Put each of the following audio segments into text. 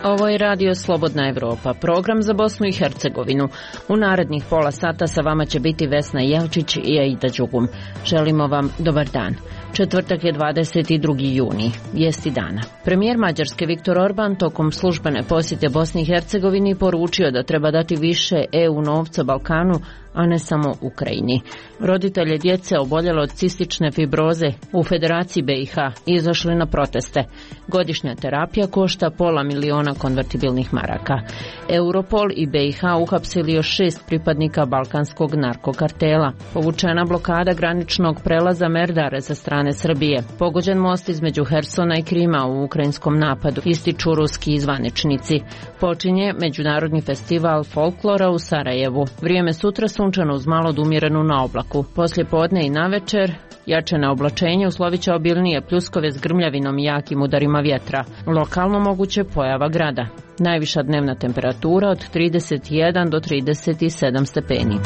Ovo je Radio Slobodna Evropa, program za Bosnu i Hercegovinu. U narednih pola sata sa vama će biti Vesna Jelčić i Aida Đugum. Želimo vam dobar dan. Četvrtak je 22. juni, vijesti dana. Premijer Mađarske Viktor Orban tokom službene posjete Bosni i Hercegovini poručio da treba dati više EU novca Balkanu, a ne samo Ukrajini. Roditelje djece oboljelo od cistične fibroze u Federaciji BiH izašli na proteste. Godišnja terapija košta $500.000 konvertibilnih maraka. Europol i BiH uhapsili još 6 pripadnika balkanskog narkokartela. Povučena blokada graničnog prelaza Merdare sa strane Srbije. Pogođen most između Hersona i Krima u ukrajinskom napadu, ističu ruski zvaničnici. Počinje Međunarodni festival folklora u Sarajevu. Vrijeme sutra sunčano uz malo umjerenu na oblaku. Poslije podne i navečer jače na oblačenje, uslovit će obilnije pljuskove s grmljavinom i jakim udarima vjetra. Lokalno moguće pojava grada. Najviša dnevna temperatura od 31 do 37 stepeni.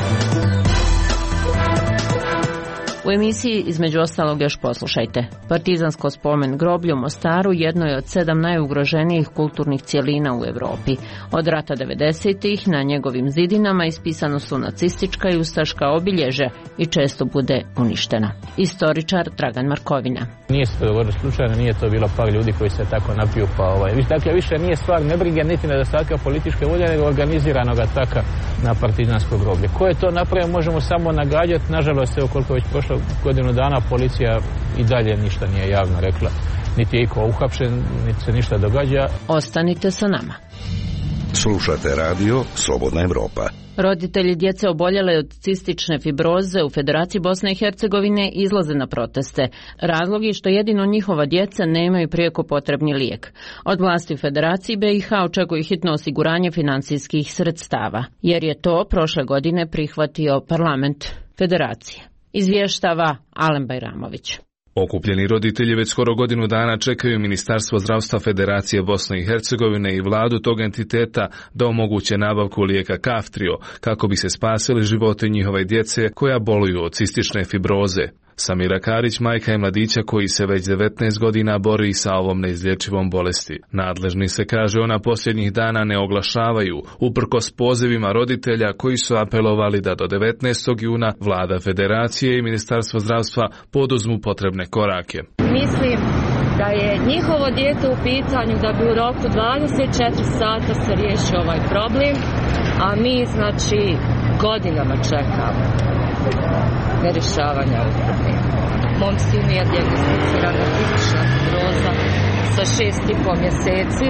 U emisiji između ostalog još poslušajte. Partizansko spomen groblje u Mostaru jedno je od 7 najugroženijih kulturnih cjelina u Europi. Od rata 90-ih na njegovim zidinama ispisano su nacistička i ustaška obilježja i često bude uništena. Istoričar Dragan Markovina. Nije se to dogodilo slučajno, nije to bilo par ljudi koji se tako napiju Dakle, više nije stvar nebrige niti nedostatka političke volje, nego organiziranog ataka na partizansko groblje. Ko je to napravio možemo samo nagađati. Nažalost, evo koliko već prošlo godinu dana policija i dalje ništa nije javno rekla. Niti je iko uhapšen, niti se ništa događa. Ostanite sa nama. Slušate radio Slobodna Evropa. Roditelji djece oboljele od cistične fibroze u Federaciji Bosne i Hercegovine izlaze na proteste. Razlog je što jedino njihova djeca nemaju prijeko potrebni lijek. Od vlasti u Federaciji BiH očekuju hitno osiguranje financijskih sredstava, jer je to prošle godine prihvatio parlament Federacije. Izvještava Alen Bajramović. Okupljeni roditelji već skoro godinu dana čekaju Ministarstvo zdravstva Federacije Bosne i Hercegovine i vladu tog entiteta da omoguće nabavku lijeka Kaftrio kako bi se spasili životi njihove djece koja boluju od cistične fibroze. Samira Karić majka je mladića koji se već 19 godina bori sa ovom neizlječivom bolesti. Nadležni se, kaže ona, posljednjih dana ne oglašavaju, uprkos pozivima roditelja koji su apelovali da do 19. juna vlada Federacije i Ministarstvo zdravstva poduzmu potrebne korake. Mislim da je njihovo dijete u pitanju, da bi u roku 24 sata se riješio ovaj problem, a mi godinama čekamo nerješavanja ovog problema. Mom sinu je dijagnosticirana cistična fibroza sa 6,5 mjeseci.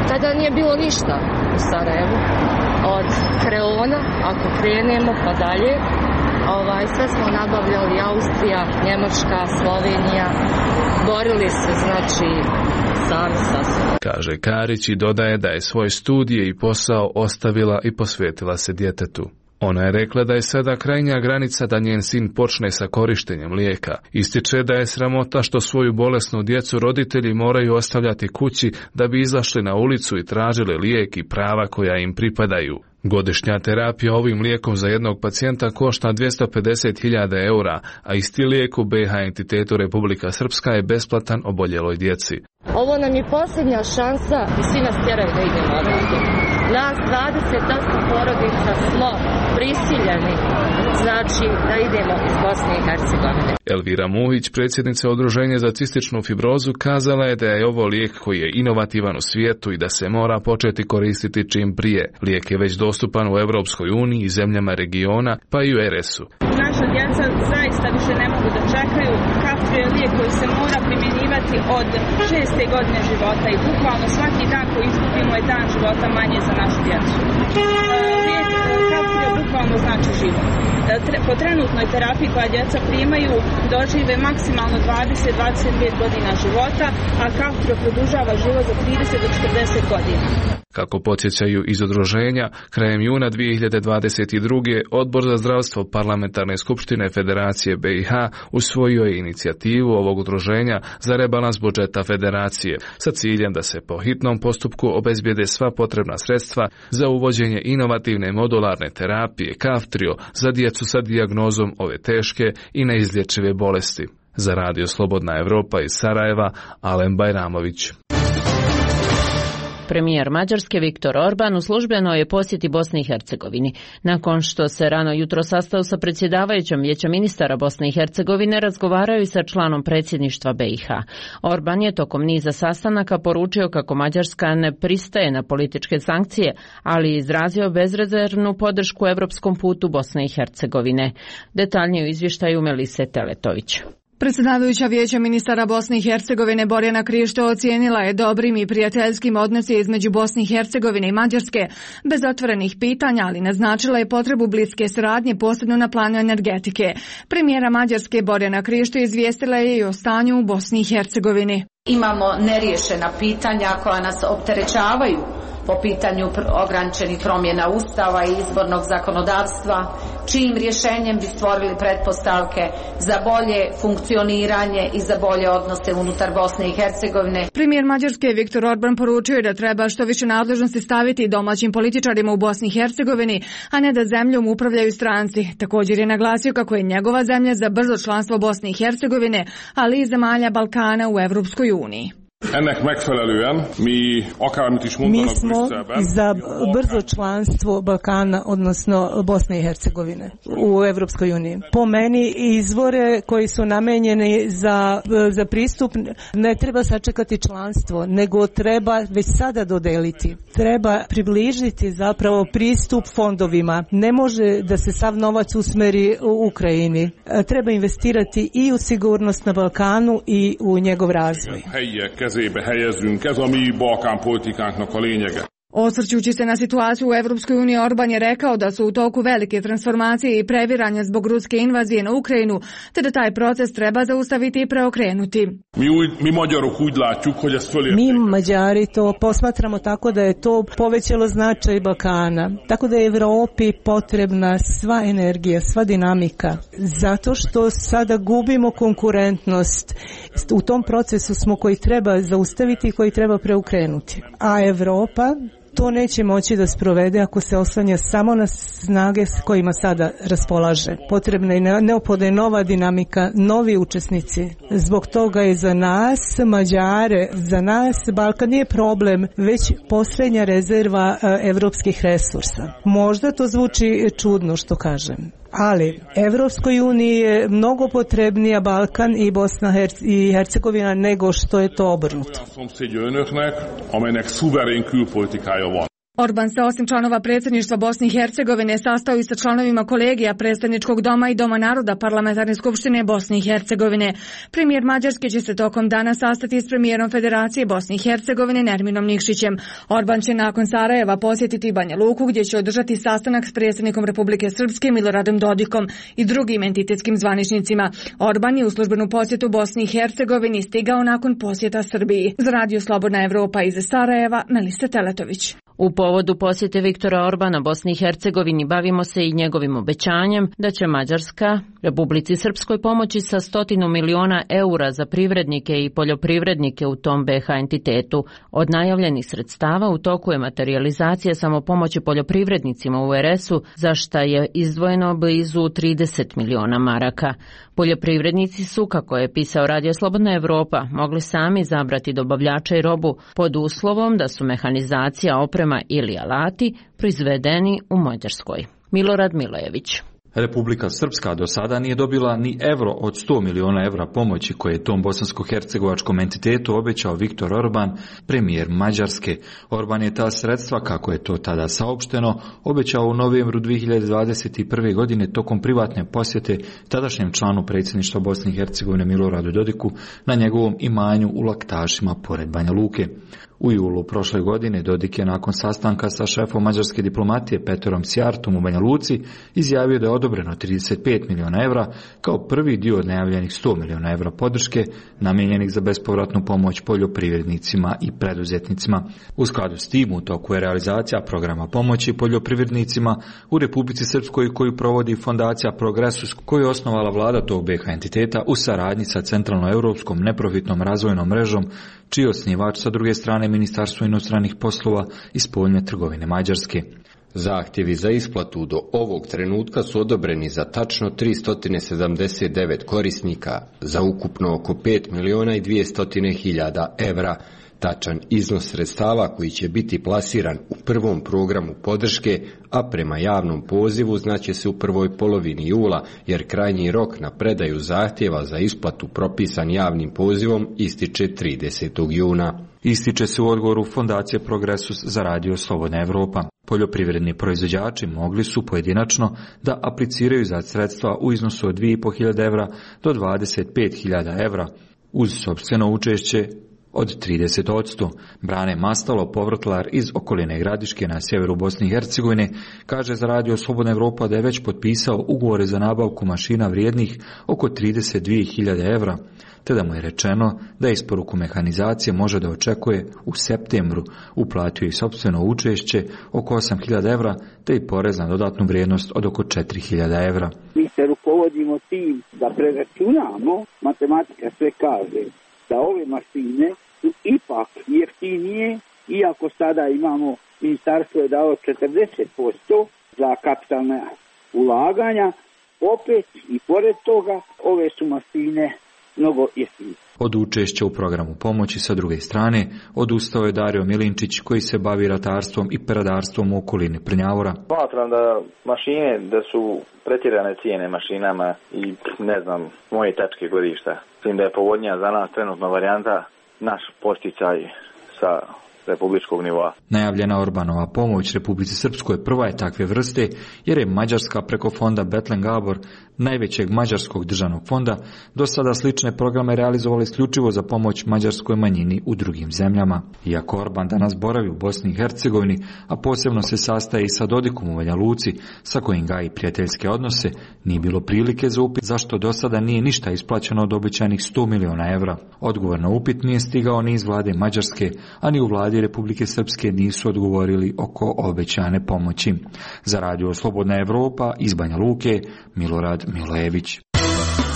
Tada nije bilo ništa u Sarajevu. Od Kreona, ako krenemo pa dalje, sve smo nabavljali Austrija, Njemačka, Slovenija. Borili se, sami sa sobom. Kaže Karić i dodaje da je svoje studije i posao ostavila i posvetila se djetetu. Ona je rekla da je sada krajnja granica da njen sin počne sa korištenjem lijeka. Ističe da je sramota što svoju bolesnu djecu roditelji moraju ostavljati kući da bi izašli na ulicu i tražili lijek i prava koja im pripadaju. Godišnja terapija ovim lijekom za jednog pacijenta košta 250.000 eura, a isti lijek u BiH entitetu Republika Srpska je besplatan oboljeloj djeci. Ovo nam je posljednja šansa i svi nas tjeraju da idemo ovdje. Nas 28 porodica smo prisiljeni, da idemo iz Bosne i Hercegovine. Elvira Muhić, predsjednica Udruženja za cističnu fibrozu, kazala je da je ovo lijek koji je inovativan u svijetu i da se mora početi koristiti čim prije. Lijek je već dostupan u Europskoj uniji i zemljama regiona, pa i u RS-u. Naša djeca zaista više ne mogu da čekaju. Kaftrio je lijek koji se mora primjenjivati od 6. godine života i bukvalno svaki dan koji izgubimo je dan života manje za našu djecu. Lijek Kaftrio bukvalno znači život. Po trenutnoj terapiji koja djeca primaju dožive maksimalno 20-25 godina života, a Kaftrio produžava život za 30 do 40 godina. Kako podsjećaju iz udruženja, krajem juna 2022. Odbor za zdravstvo Parlamentarne skupštine Federacije BiH usvojio je inicijativu ovog udruženja za rebalans budžeta Federacije sa ciljem da se po hitnom postupku obezbijede sva potrebna sredstva za uvođenje inovativne modularne terapije Kaftrio za djecu sa dijagnozom ove teške i neizlječive bolesti. Za Radio Slobodna Evropa iz Sarajeva, Alen Bajramović. Premijer Mađarske Viktor Orban u službenoj je posjeti Bosni i Hercegovini. Nakon što se rano jutro sastao sa predsjedavajućom Vijeća ministara Bosne i Hercegovine, razgovaraju sa članom predsjedništva BiH. Orban je tokom niza sastanaka poručio kako Mađarska ne pristaje na političke sankcije, ali izrazio bezrezervnu podršku europskom putu Bosne i Hercegovine. Detaljnije u izvještaju Melise Teletović. Predsjedavajuća Vijeća ministara Bosne i Hercegovine Borjana Krišto ocijenila je dobrim i prijateljskim odnose između Bosne i Hercegovine i Mađarske, bez otvorenih pitanja, ali naznačila je potrebu bliske suradnje, posebno na planu energetike. Premijera Mađarske Borjana Krišto izvijestila je i o stanju u Bosni i Hercegovini. Imamo neriješena pitanja koja nas opterećavaju po pitanju ograničenih promjena Ustava i izbornog zakonodavstva, čijim rješenjem bi stvorili pretpostavke za bolje funkcioniranje i za bolje odnose unutar Bosne i Hercegovine. Premijer Mađarske Viktor Orban poručio je da treba što više nadležnosti staviti domaćim političarima u Bosni i Hercegovini, a ne da zemljom upravljaju stranci. Također je naglasio kako je njegova zemlja za brzo članstvo Bosne i Hercegovine, ali i zemalja Balkana u Evropskoj uniji. Mi smo za brzo članstvo Balkana, odnosno Bosne i Hercegovine u Evropskoj uniji. Po meni izvore koji su namenjeni za pristup ne treba sačekati članstvo, nego treba već sada dodeliti. Treba približiti zapravo pristup fondovima. Ne može da se sav novac usmeri u Ukrajini. Treba investirati i u sigurnost na Balkanu i u njegov razvoj. Osvrćući se na situaciju u Evropskoj uniji, Orban je rekao da su u toku velike transformacije i previranja zbog ruske invazije na Ukrajinu, te da taj proces treba zaustaviti i preokrenuti. Mi Mađari to posmatramo tako da je to povećalo značaj Balkana, tako da je Evropi potrebna sva energija, sva dinamika, zato što sada gubimo konkurentnost. U tom procesu smo koji treba zaustaviti i koji treba preokrenuti. A Evropa to neće moći da sprovede ako se oslanja samo na snage s kojima sada raspolaže. Potrebna je neophodna nova dinamika, novi učesnici. Zbog toga je za nas, Mađare, za nas Balkan nije problem, već posljednja rezerva evropskih resursa. Možda to zvuči čudno što kažem, ali Evropskoj uniji je mnogo potrebnija Balkan i Bosna i Hercegovina nego što je to obrnuto. Orban se osim članova predsjedništva Bosne i Hercegovine sastao i sa članovima kolegija Predstavničkog doma i Doma naroda Parlamentarne skupštine Bosne i Hercegovine. Premijer Mađarske će se tokom dana sastati s premijerom Federacije Bosne i Hercegovine Nerminom Nikšićem. Orban će nakon Sarajeva posjetiti Banja Luku gdje će održati sastanak s predsjednikom Republike Srpske Miloradom Dodikom i drugim entitetskim zvaničnicima. Orban je u službenu posjetu Bosni i Hercegovini stigao nakon posjeta Srbiji. Za Radio Slobodna Evropa iz Sarajeva, Melisa Teletović. U povodu posjete Viktora Orbana Bosni i Hercegovini bavimo se i njegovim obećanjem da će Mađarska Republici Srpskoj pomoći sa 100 miliona eura za privrednike i poljoprivrednike u tom BiH entitetu. Od najavljenih sredstava u toku je materializacija samopomoći poljoprivrednicima u RS-u, za šta je izdvojeno blizu 30 miliona maraka. Poljoprivrednici su, kako je pisao Radio Slobodna Evropa, mogli sami izabrati dobavljača i robu pod uslovom da su mehanizacija, oprema ili alati proizvedeni u Mađarskoj. Milorad Milojević. Republika Srpska do sada nije dobila ni evro od 100 miliona evra pomoći koje je tom bosansko-hercegovačkom entitetu obećao Viktor Orban, premijer Mađarske. Orban je ta sredstva, kako je to tada saopšteno, obećao u novembru 2021. godine tokom privatne posjete tadašnjem članu predsjedništva Bosne i Hercegovine Miloradu Dodiku na njegovom imanju u Laktašima pored Banja Luke. U julu prošle godine Dodik je nakon sastanka sa šefom mađarske diplomatije Peterom Sjartom u Banja Luci izjavio da je odobreno 35 milijuna evra kao prvi dio od najavljenih 100 milijuna evra podrške namijenjenih za bespovratnu pomoć poljoprivrednicima i preduzetnicima. U skladu s tim u toku je realizacija programa pomoći poljoprivrednicima u Republici Srpskoj koju provodi fondacija Progresus koju je osnovala vlada tog BiH entiteta u saradnji sa Centralnoeuropskom neprofitnom razvojnom mrežom čiji je osnivač sa druge strane Ministarstvo inostranih poslova i spoljne trgovine Mađarske. Zahtjevi za isplatu do ovog trenutka su odobreni za tačno 379 korisnika za ukupno oko 5.200.000 evra. Tačan iznos sredstava koji će biti plasiran u prvom programu podrške, a prema javnom pozivu znaće se u prvoj polovini jula, jer krajnji rok na predaju zahtjeva za isplatu propisan javnim pozivom ističe 30. juna. Ističe se u odgovoru Fondacije Progresus za Radio Slobodna Evropa. Poljoprivredni proizvođači mogli su pojedinačno da apliciraju za sredstva u iznosu od 2.500 evra do 25.000 evra uz sopstveno učešće od 30%. Brane Mastalo, povrtlar iz okoline Gradiške na sjeveru Bosne i Hercegovine, kaže za Radio Slobodna Evropa da je već potpisao ugovore za nabavku mašina vrijednih oko 32.000 evra, te da mu je rečeno da isporuku mehanizacije može da očekuje u septembru. Uplatio i sopstveno učešće oko 8.000 evra, te i porez na dodatnu vrijednost od oko 4.000 evra. Mi se rukovodimo tim da preračunamo, matematika sve kaže da ove mašine su ipak jeftinije, iako sada imamo, ministarstvo je dao 40% za kapitalne ulaganja, opet i pored toga ove su mašine mnogo jeftinije. Od učešća u programu pomoći sa druge strane odustao je Dario Milinčić koji se bavi ratarstvom i peradarstvom u okolini Prnjavora. Smatram da mašine, da su pretjerane cijene mašinama i ne znam, moje tačke godišta. Mislim da je povoljnija za nas trenutno varijanta naš posticaj sa republičkog nivoa. Najavljena Orbanova pomoć Republici Srpskoj prva je takve vrste jer je Mađarska preko fonda Betlen Gabor, najvećeg mađarskog državnog fonda, do sada slične programe realizovala isključivo za pomoć mađarskoj manjini u drugim zemljama. Iako Orban danas boravi u Bosni i Hercegovini, a posebno se sastaje i sa Dodikom u Banja Luci, sa kojim gaji prijateljske odnose, nije bilo prilike za upit zašto do sada nije ništa isplaćeno od obećanih 100 milijuna evra. Odgovor na upit nije stigao ni iz vlade Mađarske, a ni u vladi Republike Srpske nisu odgovorili oko obećane pomoći. Za Radio Slobodna Evropa iz Banja Luke, Milorad Milojević.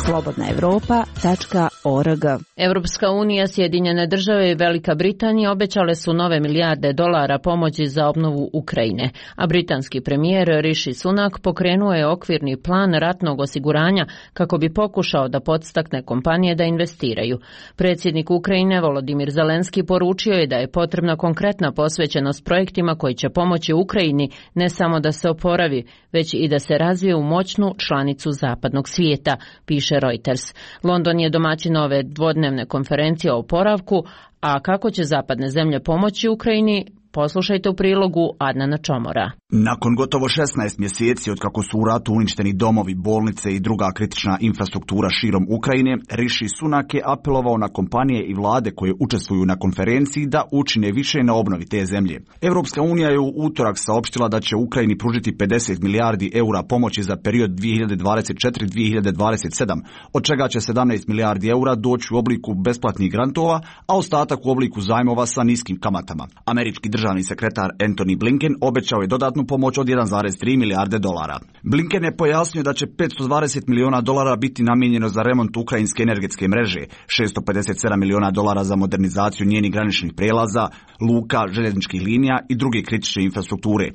slobodnaevropa.org. Evropska unija, Sjedinjene države i Velika Britanija obećale su nove milijarde dolara pomoći za obnovu Ukrajine, a britanski premijer Rishi Sunak pokrenuo je okvirni plan ratnog osiguranja kako bi pokušao da podstakne kompanije da investiraju. Predsjednik Ukrajine Volodimir Zelenski poručio je da je potrebna konkretna posvećenost projektima koji će pomoći Ukrajini ne samo da se oporavi, već i da se razvije u moćnu članicu zapadnog svijeta, piše Reuters. London je domaćin ove dvodnevne konferencije o oporavku, a kako će zapadne zemlje pomoći Ukrajini, poslušajte u prilogu Adnana Čomora. Nakon gotovo 16 mjeseci od kako su u ratu uništeni domovi, bolnice i druga kritična infrastruktura širom Ukrajine, Rishi Sunak je apelovao na kompanije i vlade koje učestvuju na konferenciji da učine više na obnovi te zemlje. Europska unija je u utorak saopštila da će Ukrajini pružiti 50 milijardi eura pomoći za period 2024-2027, od čega će 17 milijardi eura doći u obliku besplatnih grantova, a ostatak u obliku zajmova sa niskim kamatama. Američki državni sekretar Antony Blinken obećao je dodatnu pomoć od 1,3 milijarde dolara. Blinken je pojasnio da će 520 milijuna dolara biti namijenjeno za remont ukrajinske energetske mreže, 657 milijuna dolara za modernizaciju njenih graničnih prelaza, luka, željezničkih linija i druge kritične infrastrukture,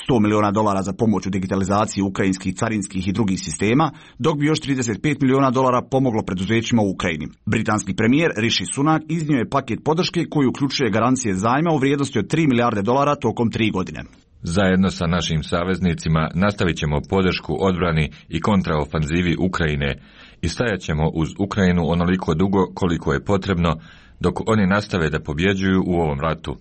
100 milijuna dolara za pomoć u digitalizaciji ukrajinskih carinskih i drugih sistema, dok bi još 35 milijuna dolara pomoglo preduzećima u Ukrajini. Britanski premijer Rishi Sunak iznio je paket podrške koji uključuje garancije zajma u vrijednosti od 3 milijarde dolara tokom 3 godine. Zajedno sa našim saveznicima nastavit ćemo podršku odbrani i kontraofanzivi Ukrajine i stajat ćemo uz Ukrajinu onoliko dugo koliko je potrebno dok oni nastave da pobjeđuju u ovom ratu.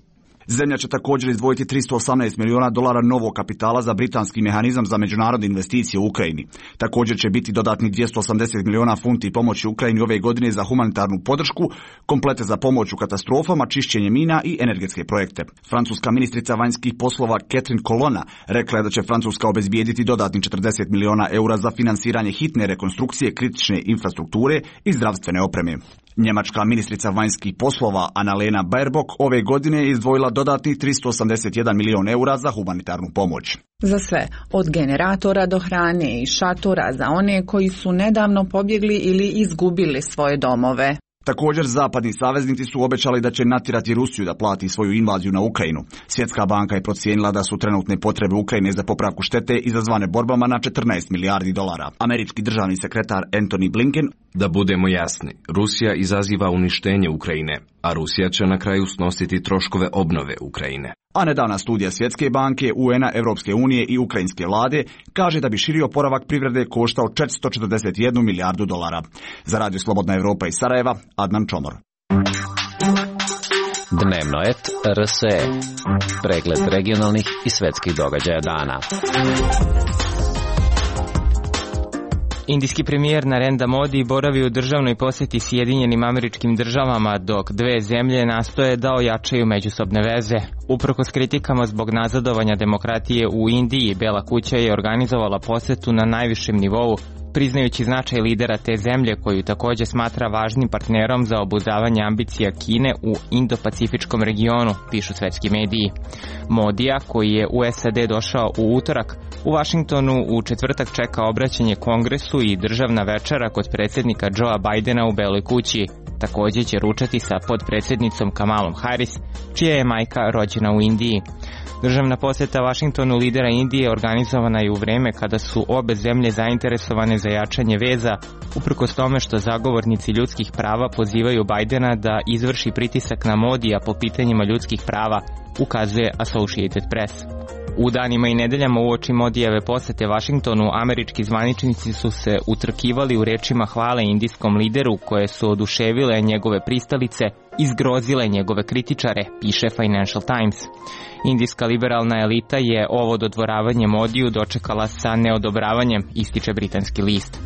Zemlja će također izdvojiti $318 milijuna novog kapitala za britanski mehanizam za međunarodne investicije u Ukrajini. Također će biti dodatni 280 milijuna funti pomoći Ukrajini ove godine za humanitarnu podršku, komplete za pomoć u katastrofama, čišćenje mina i energetske projekte. Francuska ministrica vanjskih poslova Catherine Colonna rekla je da će Francuska obezbijediti dodatni 40 milijuna eura za finansiranje hitne rekonstrukcije kritične infrastrukture i zdravstvene opreme. Njemačka ministrica vanjskih poslova Annalena Baerbock ove godine je izdvojila dodatnih 381 milijun eura za humanitarnu pomoć. Za sve, od generatora do hrane i šatora za one koji su nedavno pobjegli ili izgubili svoje domove. Također, zapadni saveznici su obećali da će natjerati Rusiju da plati svoju invaziju na Ukrajinu. Svjetska banka je procijenila da su trenutne potrebe Ukrajine za popravku štete izazvane borbama na $14 milijardi. Američki državni sekretar Antony Blinken: Da budemo jasni, Rusija izaziva uništenje Ukrajine, a Rusija će na kraju snositi troškove obnove Ukrajine. A nedavna studija Svjetske banke, UN-a, Europske unije i ukrajinske vlade kaže da bi širi oporavak privrede koštao $441 milijardu. Za Radio Slobodna Evropa iz Sarajeva, Adnan Čomor. Dnevnoet RSE. Pregled regionalnih i svjetskih događaja dana. Indijski premijer Narendra Modi boravi u državnoj posjeti Sjedinjenim Američkim Državama, dok dve zemlje nastoje da ojačaju međusobne veze. Uprkos kritikama zbog nazadovanja demokratije u Indiji, Bela kuća je organizovala posjetu na najvišem nivou, priznajući značaj lidera te zemlje koju također smatra važnim partnerom za obuzdavanje ambicija Kine u Indo-Pacifičkom regionu, pišu svetski mediji. Modija, koji je u SAD došao u utorak, u Vašingtonu u četvrtak čeka obraćanje Kongresu i državna večera kod predsjednika Joea Bidena u Beloj kući. Također će ručati sa podpredsjednicom Kamalom Harris, čija je majka rođena u Indiji. Državna posjeta Vašingtonu lidera Indije organizovana je u vrijeme kada su obe zemlje zainteresovane za jačanje veza, uprkos tome što zagovornici ljudskih prava pozivaju Bidena da izvrši pritisak na Modija po pitanjima ljudskih prava, ukazuje Associated Press. U danima i nedeljama uoči Modijeve posjete Vašingtonu, američki zvaničnici su se utrkivali u rečima hvale indijskom lideru, koje su oduševile njegove pristalice i zgrozile njegove kritičare, piše Financial Times. Indijska liberalna elita je ovo dodvoravanje Modiju dočekala sa neodobravanjem, ističe britanski list.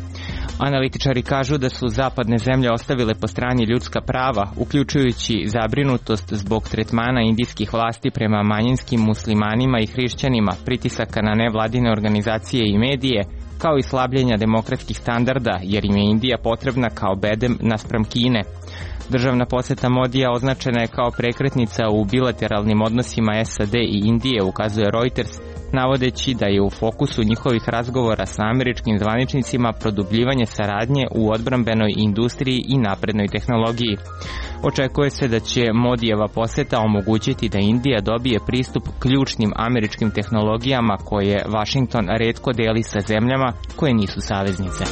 Analitičari kažu da su zapadne zemlje ostavile po strani ljudska prava, uključujući zabrinutost zbog tretmana indijskih vlasti prema manjinskim muslimanima i hrišćanima, pritisaka na nevladine organizacije i medije, kao i slabljenja demokratskih standarda, jer im je Indija potrebna kao bedem naspram Kine. Državna posjeta Modija označena je kao prekretnica u bilateralnim odnosima SAD i Indije, ukazuje Reuters, navodeći da je u fokusu njihovih razgovora sa američkim zvaničnicima produbljivanje saradnje u odbrambenoj industriji i naprednoj tehnologiji. Očekuje se da će Modijeva posjeta omogućiti da Indija dobije pristup ključnim američkim tehnologijama koje Washington retko deli sa zemljama koje nisu saveznice.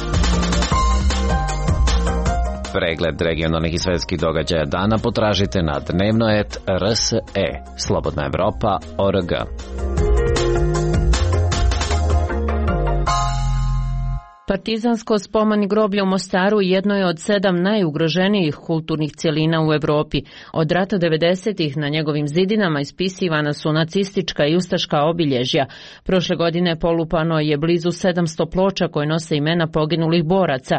Pregled regionalnih i svjetskih događaja dana potražite na dnevnoet RSE, Slobodna Evropa.org. Partizansko spomen groblje u Mostaru jedno je od 7 najugroženijih kulturnih cjelina u Europi. Od rata 90-ih na njegovim zidinama ispisivana su nacistička i ustaška obilježja. Prošle godine polupano je blizu 700 ploča koje nose imena poginulih boraca.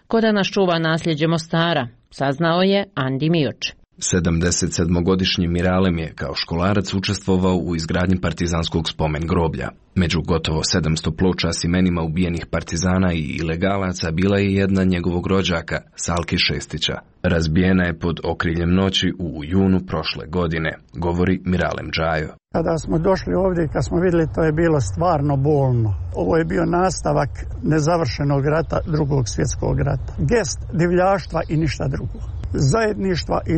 Ko da nas čuva nasljeđe Mostara, saznao je Andi Mioč. 77-godišnji Miralem je kao školarac učestvovao u izgradnji partizanskog spomen groblja. Među gotovo 700 ploča s imenima ubijenih partizana i ilegalaca bila je jedna njegovog rođaka, Salki Šestića. Razbijena je pod okriljem noći u junu prošle godine, govori Miralem Džajo. Kada smo došli ovdje i kad smo vidjeli, to je bilo stvarno bolno. Ovo je bio nastavak nezavršenog rata, drugog svjetskog rata. Gest divljaštva i ništa drugo. Zajedništva i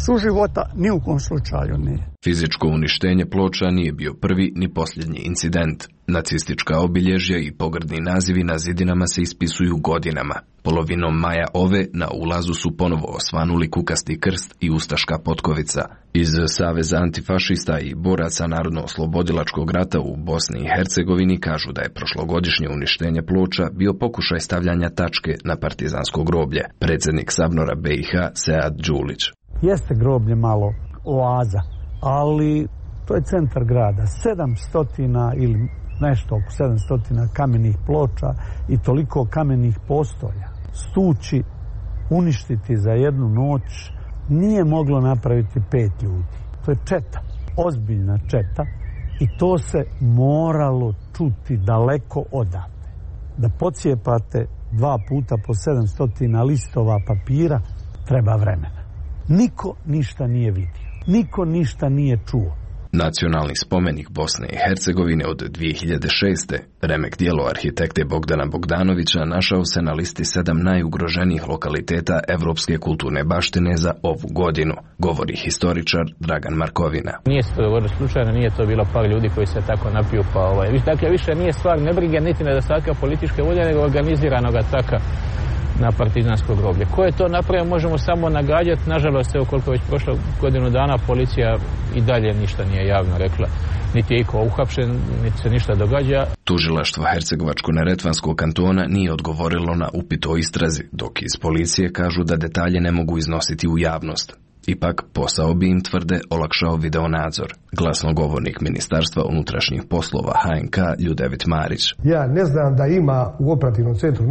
suživota ni u kom slučaju nije. Fizičko uništenje ploča nije bio prvi ni posljednji incident. Nacistička obilježja i pogrdni nazivi na zidinama se ispisuju godinama. Polovinom maja ove na ulazu su ponovo osvanuli kukasti krst i ustaška potkovica. Iz Saveza antifašista i boraca Narodno-oslobodilačkog rata u Bosni i Hercegovini kažu da je prošlogodišnje uništenje ploča bio pokušaj stavljanja tačke na partizansko groblje. Predsjednik Sabnora BiH Sead Đulić. Jeste groblje malo oaza, ali to je centar grada. 700 ili nešto oko 700 kamenih ploča i toliko kamenih postolja. Stući, uništiti za jednu noć nije moglo napraviti 5 ljudi. To je četa, ozbiljna četa i to se moralo čuti daleko odavde. Da pocijepate 2 puta po 700 listova papira treba vremena. Niko ništa nije vidio. Niko ništa nije čuo. Nacionalni spomenik Bosne i Hercegovine od 2006. remek djelo arhitekte Bogdana Bogdanovića našao se na listi 7 najugroženijih lokaliteta evropske kulturne baštine za ovu godinu, govori historičar Dragan Markovina. Nije se to dogodilo slučajno, nije to bilo par ljudi koji se tako napiju, dakle više nije stvar nebrige niti nedostatka političke volje, nego organiziranog ataka na partizansko groblje. Ko je to napravio možemo samo nagađati. Nažalost, evo koliko već prošlo godinu dana, policija i dalje ništa nije javno rekla. Niti je iko uhapšen, niti se ništa događa. Tužilaštvo Hercegovačko-neretvanskog kantona nije odgovorilo na upit o istrazi, dok iz policije kažu da detalje ne mogu iznositi u javnost. Ipak, posao bi im, tvrde, olakšao videonadzor. Glasnogovornik Ministarstva unutrašnjih poslova HNK Ljudevit Marić. Ja ne znam da ima u operativnom centru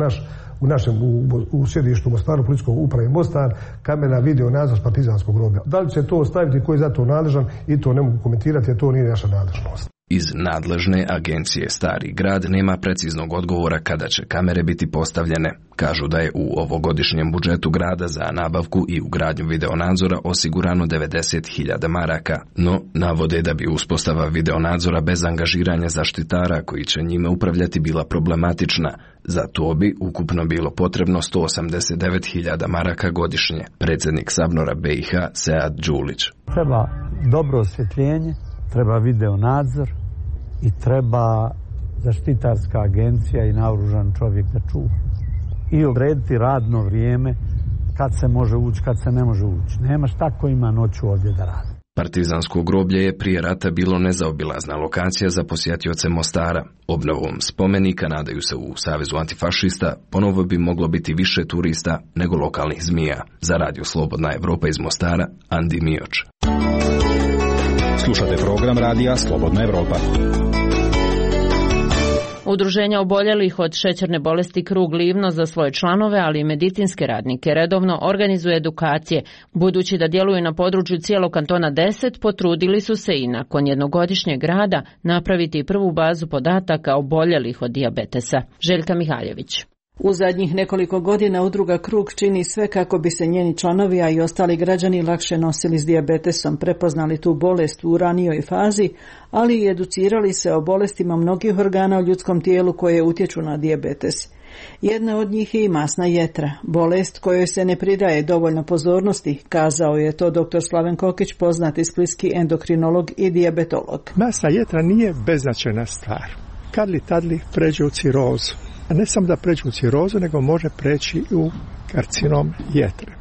u sjedištu Mostaru policijskog uprave Mostar kamera video nadzor partizanskog groblja. Da li će to staviti, ko je za to nadležan, i to ne mogu komentirati, jer to nije naša nadležnost. Iz nadležne agencije Stari grad nema preciznog odgovora kada će kamere biti postavljene. Kažu da je u ovogodišnjem budžetu grada za nabavku i ugradnju videonadzora osigurano 90.000 maraka, no navode da bi uspostava videonadzora bez angažiranja zaštitara koji će njime upravljati bila problematična. Za to bi ukupno bilo potrebno 189.000 maraka godišnje. Predsjednik Sabnora BiH Sead Đulić. Treba dobro osvjetljenje, treba videonadzor i treba zaštitarska agencija i naoružan čovjek da čuva. I odrediti radno vrijeme kad se može ući, kad se ne može ući. Nema šta ko ima noću ovdje da radi. Partizansko groblje je prije rata bilo nezaobilazna lokacija za posjetioce Mostara. Obnovom spomenika, nadaju se u Savezu antifašista, ponovo bi moglo biti više turista nego lokalnih zmija. Za Radio Slobodna Evropa iz Mostara, Andi Mioč. Slušate program radija Slobodna Evropa. Udruženja oboljelih od šećerne bolesti Krug Livno za svoje članove, ali i medicinske radnike redovno organizuje edukacije. Budući da djeluju na području cijelog kantona 10, potrudili su se i nakon jednogodišnjeg rada napraviti prvu bazu podataka oboljelih od dijabetesa. Željka Mihaljević. U zadnjih nekoliko godina udruga Krug čini sve kako bi se njeni članovi, a i ostali građani lakše nosili s dijabetesom, prepoznali tu bolest u ranijoj fazi, ali i educirali se o bolestima mnogih organa u ljudskom tijelu koje utječu na dijabetes. Jedna od njih je i masna jetra, bolest kojoj se ne pridaje dovoljno pozornosti, kazao je to dr. Slaven Kokić, poznati splitski endokrinolog i dijabetolog. Masna jetra nije beznačajna stvar. Kad li tad li pređe u cirozu. A ne samo da pređe u cirozu, nego može preći u karcinom jetre.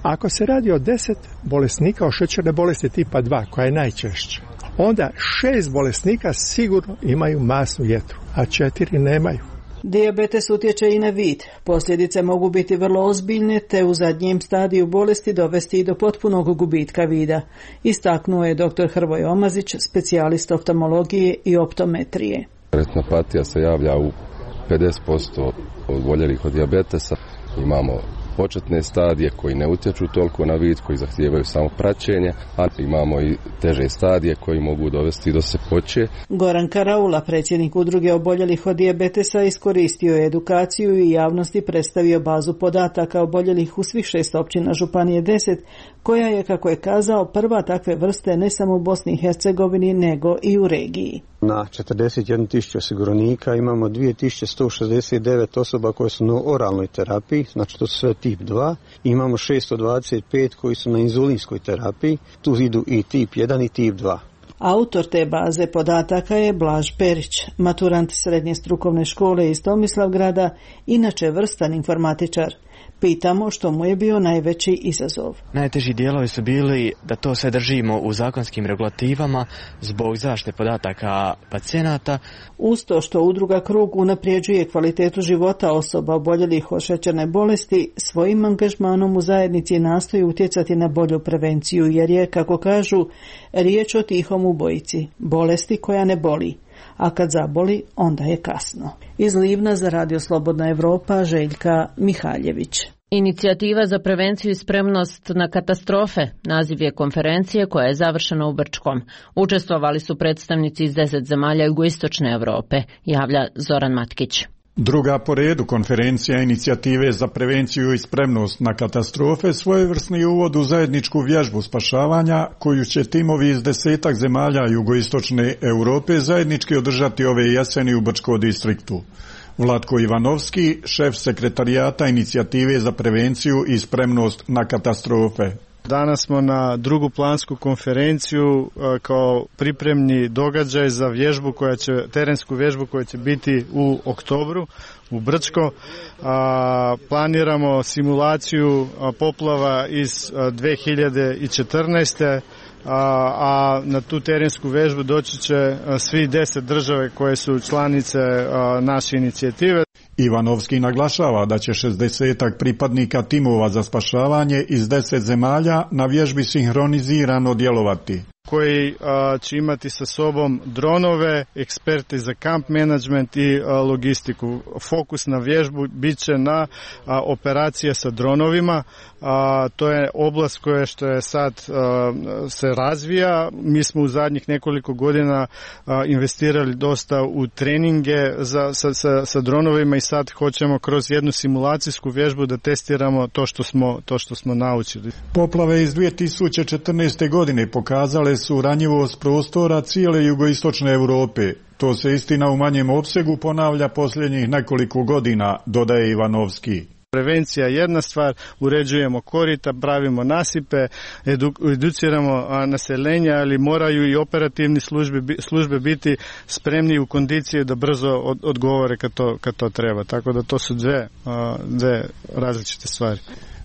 Ako se radi o 10 bolesnika od šećerne bolesti tipa 2, koja je najčešća, onda 6 bolesnika sigurno imaju masnu jetru, a 4 nemaju. Dijabetes utječe i na vid. Posljedice mogu biti vrlo ozbiljne, te u zadnjem stadiju bolesti dovesti i do potpunog gubitka vida, istaknuo je dr. Hrvoje Omazić, specijalist oftalmologije i optometrije. Retinopatija se javlja u 50% oboljelih od dijabetesa. Imamo početne stadije koji ne utječu toliko na vid, koji zahtijevaju samo praćenje, a imamo i teže stadije koji mogu dovesti do sljepoće. Goran Karaula, predsjednik udruge oboljelih od dijabetesa, iskoristio je edukaciju i javnosti predstavio bazu podataka oboljelih u svih 6 općina Županije 10, koja je, kako je kazao, prva takve vrste ne samo u Bosni i Hercegovini, nego i u regiji. Na 41.000 osiguranika imamo 2.169 osoba koje su na oralnoj terapiji, znači to su sve tip 2. Imamo 625 koji su na inzulinskoj terapiji, tu idu i tip 1 i tip 2. Autor te baze podataka je Blaž Perić, maturant srednje strukovne škole iz Tomislavgrada, inače vrstan informatičar. Pitamo što mu je bio najveći izazov. Najteži dijelovi su bili da to sve držimo u zakonskim regulativama zbog zaštite podataka pacijenata. Uz to što udruga Krug unapređuje kvalitetu života osoba oboljelih od šećerne bolesti, svojim angažmanom u zajednici nastoji utjecati na bolju prevenciju, jer je, kako kažu, riječ o tihom ubojici, bolesti koja ne boli. A kad zaboli, onda je kasno. Iz Livna za Radio Slobodna Evropa, Željka Mihaljević. Inicijativa za prevenciju i spremnost na katastrofe naziv je konferencije koja je završena u Brčkom. Učestvovali su predstavnici iz 10 zemalja jugoistočne Europe, javlja Zoran Matkić. Druga po redu konferencija inicijative za prevenciju i spremnost na katastrofe svojevrsni uvod u zajedničku vježbu spašavanja koju će timovi iz 10 zemalja jugoistočne Europe zajednički održati ove jeseni u Brčkom distriktu. Vlatko Ivanovski, šef sekretarijata inicijative za prevenciju i spremnost na katastrofe. Danas smo na drugu plansku konferenciju kao pripremni događaj za vježbu terensku vježbu koja će biti u oktobru u Brčko. Planiramo simulaciju poplava iz 2014. A na tu terensku vježbu doći će svi 10 države koje su članice naše inicijative. Ivanovski naglašava da će 60 pripadnika timova za spašavanje iz 10 zemalja na vježbi sinhronizirano djelovati. Koji će imati sa sobom dronove, eksperte za kamp management i logistiku. Fokus na vježbu bit će na operacije sa dronovima. To je oblast što je sad se razvija. Mi smo u zadnjih nekoliko godina investirali dosta u treninge sa dronovima i sad hoćemo kroz jednu simulacijsku vježbu da testiramo to što smo naučili. Poplave iz 2014. godine pokazale su ranjivost prostora cijele jugoistočne Europe. To se istina u manjem opsegu ponavlja posljednjih nekoliko godina, dodaje Ivanovski. Prevencija je jedna stvar, uređujemo korita, pravimo nasipe, educiramo naseljenja, ali moraju i operativni službe biti spremni u kondiciji da brzo odgovore kad to treba. Tako da to su dve različite stvari.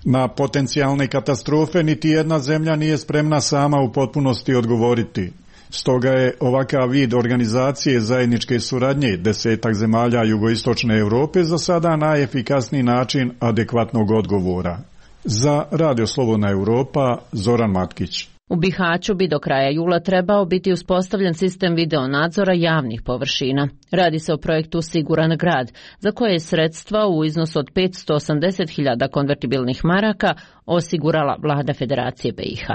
Na potencijalne katastrofe niti jedna zemlja nije spremna sama u potpunosti odgovoriti. Stoga je ovakav vid organizacije zajedničke suradnje 10 zemalja jugoistočne Europe za sada najefikasniji način adekvatnog odgovora. Za Radio Slobodna Europa, Zoran Matkić. U Bihaću bi do kraja jula trebao biti uspostavljen sistem video nadzora javnih površina. Radi se o projektu Siguran grad, za koje je sredstva u iznosu od 580.000 konvertibilnih maraka osigurala vlada Federacije BiH.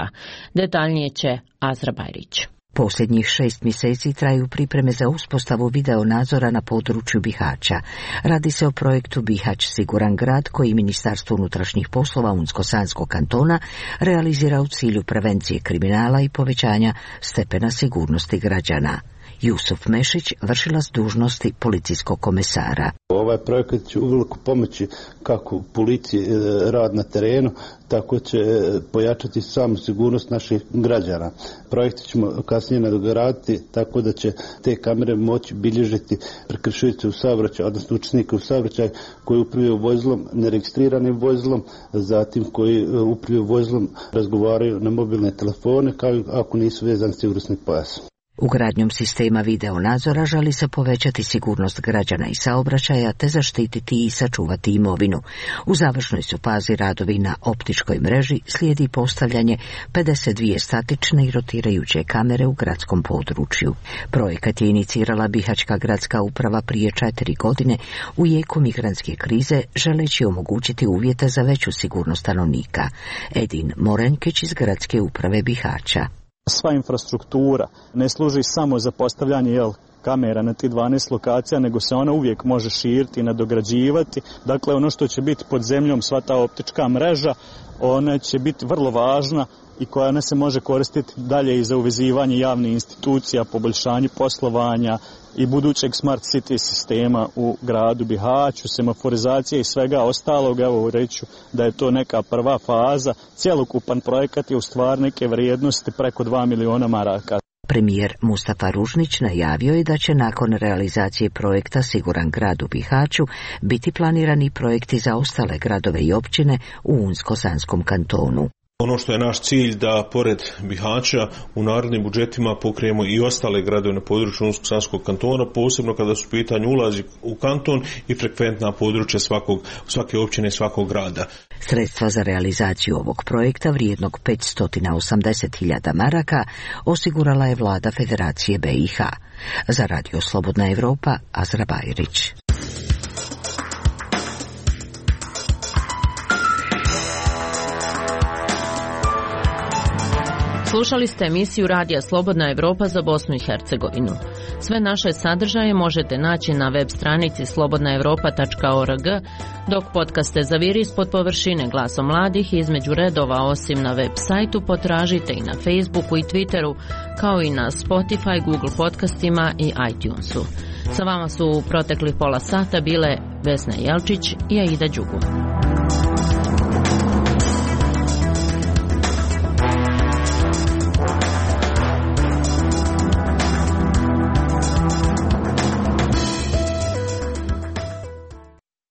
Detaljnije će Azra Bajrić. Posljednjih 6 mjeseci traju pripreme za uspostavu video nadzora na području Bihaća. Radi se o projektu Bihać Siguran grad koji Ministarstvo unutrašnjih poslova Unsko-Sanskog kantona realizira u cilju prevencije kriminala i povećanja stepena sigurnosti građana. Jusuf Mešić, vršilac dužnosti policijskog komesara. Ovaj projekat će uveliko pomoći kako policiji rad na terenu, tako će pojačati samu sigurnost naših građana. Projekte ćemo kasnije nadograditi tako da će te kamere moći bilježiti prekršitelje u saobraćaju, odnosno učesnike u saobraćaju koji upravljaju vozilom, neregistriranim vozilom, zatim koji upravljaju vozilom razgovaraju na mobilne telefone kao i ako nisu vezani sigurnosni pojas. Ugradnjom sistema video nadzora želi se povećati sigurnost građana i saobraćaja te zaštititi i sačuvati imovinu. U završnoj su fazi radovi na optičkoj mreži, slijedi postavljanje 52 statične i rotirajuće kamere u gradskom području. Projekat je inicirala Bihaćka gradska uprava prije 4 godine u jeku migrantske krize, želeći omogućiti uvjete za veću sigurnost stanovnika. Edin Morenkić iz gradske uprave Bihaća. Sva infrastruktura ne služi samo za postavljanje kamera na tih 12 lokacija, nego se ona uvijek može širiti i nadograđivati. Dakle, ono što će biti pod zemljom, sva ta optička mreža, ona će biti vrlo važna i koja ne se može koristiti dalje i za uvezivanje javnih institucija, poboljšanje poslovanja i budućeg smart city sistema u gradu Bihaću, semaforizacije i svega ostalog. Evo reću da je to neka prva faza. Cjelokupan projekat je u stvari neke vrijednosti preko 2 miliona maraka. Premijer Mustafa Ružnić najavio je da će nakon realizacije projekta Siguran grad u Bihaću biti planirani projekti za ostale gradove i općine u Unsko-Sanskom kantonu. Ono što je naš cilj da pored Bihaća u narednim budžetima pokrijemo i ostale gradove na području Unsko-Sanskog kantona, posebno kada su pitanje ulazi u kanton i frekventna područja svake općine i svakog grada. Sredstva za realizaciju ovog projekta vrijednog 580.000 maraka osigurala je vlada Federacije BiH. Za Radio Slobodna Evropa, Azra Bajrić. Slušali ste emisiju Radija Slobodna Evropa za Bosnu i Hercegovinu. Sve naše sadržaje možete naći na web stranici slobodnaevropa.org, dok podcaste Zaviri ispod površine Glasom mladih između redova osim na web sajtu potražite i na Facebooku i Twitteru, kao i na Spotify, Google podcastima i iTunesu. Sa vama su u proteklih pola sata bile Vesna Jelčić i Aida Đugum.